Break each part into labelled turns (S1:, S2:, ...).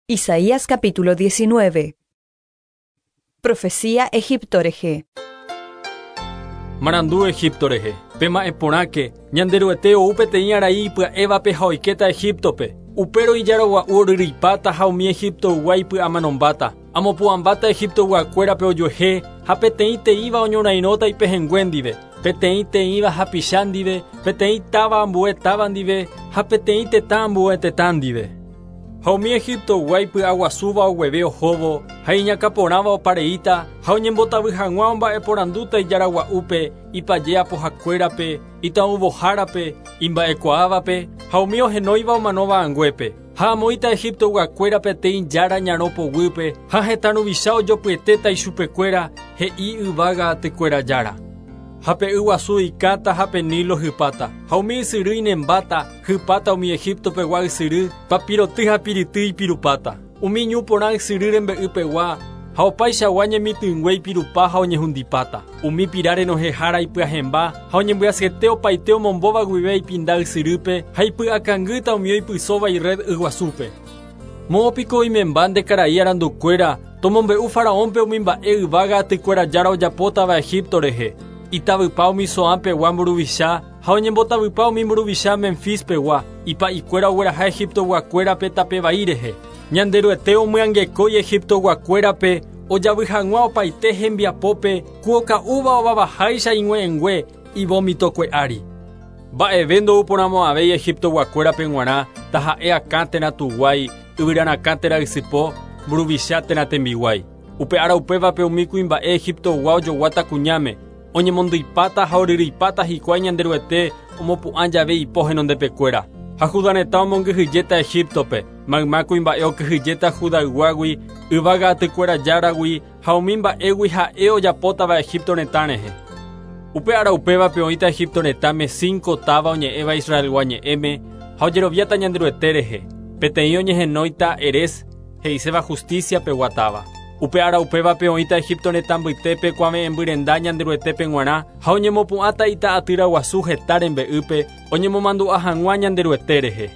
S1: Isaías capítulo 19. Profecía Egipto rehe.
S2: Marandu Egipto rehe. Pema'ẽ porãke, Ñanderuete ou peteĩ arai ipya'évape ha oikéta Egíptope. Upérõ ijára gua'u oryryipáta ha umi Egiptoygua ipy'amanombáta. Amopu'ãmbáta Egiptoyguakuérape ojuehe ha peteĩ teĩva oñorairõta ipehẽngue ndive, peteĩ teĩva hapicha ndive, peteĩ táva ambue táva ndive ha peteĩ tetã ambue tetã ndive. Ha umi Egiptoygua ipy'aguasúva ogueve ohóvo ha iñakãporãva opareíta ha oñembotavy hag̃ua omba'eporandúta ijára gua'úpe, ipaje apohakuérape, ita'ũvohárape, imba'ekuaávape ha umi ohenóiva omanóva anguépe. Ha amoĩta Egiptoyguakuéra peteĩ jára ñarõ poguýpe ha hetã ruvicha ojopyetéta ichupekuéra he'i yvága atykuéra jára. Ha pe yguasu ikáta ha pe Nilo hypáta, ha umi ysyry inembáta, hypáta umi Egiptopegua ysyry, papiroty ha pirity ipirupáta. Umi ñu porã ysyry rembe'ypegua ha opaichagua ñemitỹngue ipirupa ha oñehundipáta. Umi pira renohẽhára ipyahẽmba ha oñembyasyete opaite omombóva guive ipinda ysyrýpe ha ipy'akangýta umi oipysóva ired yguasúpe. Moõpiko oimemba nde karai arandukuéra tomombe'u faraónpe umi mba'e yvága atykuéra jára ojapótava Egipto rehe. Itavypa umi Zoánpegua mburuvicha ha oñembotavypa umi mburuvicha Memfispegua, ipa'ikuéra ogueraha Egiptoyguakuérape tape vai rehe. Ñanderuete omyangekói Egiptoyguakuérape ojavy hag̃ua opaite hembiapópe ku oka'úva ovavaháicha ig̃ue'ẽngue ivómitokue ári. Mba'eve ndouporãmo'ãvéi Egiptoyguakuérape g̃uarã taha'e akã térã tuguái, yvyrarakã térã ysypo, mburuvicha térã tembiguái. Upe ára upévape umi kuimba'e Egiptoygua ojoguáta kuñáme, oñemondyipáta ha oryryipáta hikuái Ñanderuete omopu'ã jave ipo henondepekuéra. Ha Judá retã omongyhyjéta Egiptope, mayma kuimba'e okyhyjéta Judayguágui, yvága atykuéra járagui ha umi mba'égui ha'e ojapótava Egipto retã rehe. Upe ára upévape oĩta Egipto retãme cinco táva oñe'ẽva Israelgua ñe'ẽme ha ojeroviáta Ñanderuete rehe. Peteĩ oñehenóita Erez, he'iséva justicia pegua táva. Upe ára upévape oĩta Egipto retã mbytépe kuave'ẽmby Ñanderuetépe g̃uarã ha oñemopu'ãta ita'atýra guasu heta rembe'ýpe oñemomandu'a hag̃ua Ñanderuete rehe.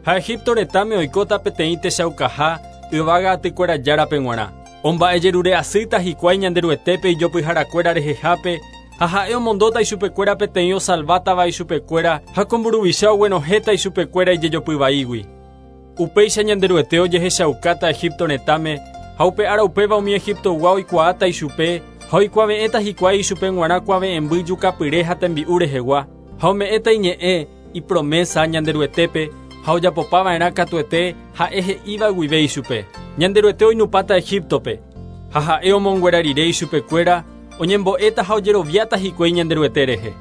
S2: Ha Egipto retãme oikóta peteĩ techaukaha yvága atykuéra járape g̃uarã. Omba'ejerure asýta hikuái Ñanderuetépe ijopyharakuéra rehehápe ha ha'e omondóta ichupekuéra peteĩ osalvátava ichupekuéra ha ko mburuvicha oguenohẽta ichupekuéra ijejopyvaígui. Upéicha Ñanderuete ojehechaukáta Egipto retãme ha upe ára upéva umi Egiptoygua oikuaáta ichupe ha oikuave'ẽta hikuái ichupe g̃uarã kuave'ẽmby jukapyre ha tembi'u rehegua ha ome'ẽta iñe'ẽ ipromesa Ñanderuetépe ha ojapopava'erã katuete ha'e he'íva guive ichupe. Ñanderuete oinupãta Egiptope ha ha'e omonguera rire ichupekuéra oñembo'éta ha ojeroviáta hikuái Ñanderuete rehe.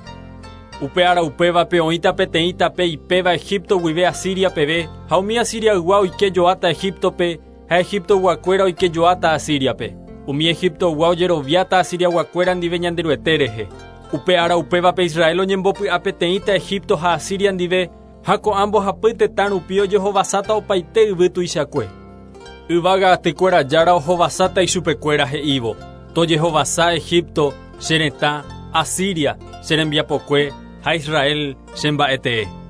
S2: Upe ára upévape oĩta peteĩ tape ipéva Egipto guive Asiria peve ha umi Asiriaygua oikejoáta Egiptope ha Egiptoyguakuéra oikejoáta Asiriape. Umi Egiptoygua ojeroviáta Asiriaguakuéra ndive Ñanderuete rehe. Upe ára upévape Israel oñembopy'a peteĩta Egipto ha Asiria ndive ha ko'ã mbohapy tetã rupi ojehovasáta opaite yvy tuichakue. Yvága atykuéra jára ohovasáta ichupekuéra he'ívo: Tojehovasa Egipto, che retã, Asiria, che rembiapokue ha Israel che mba'etee.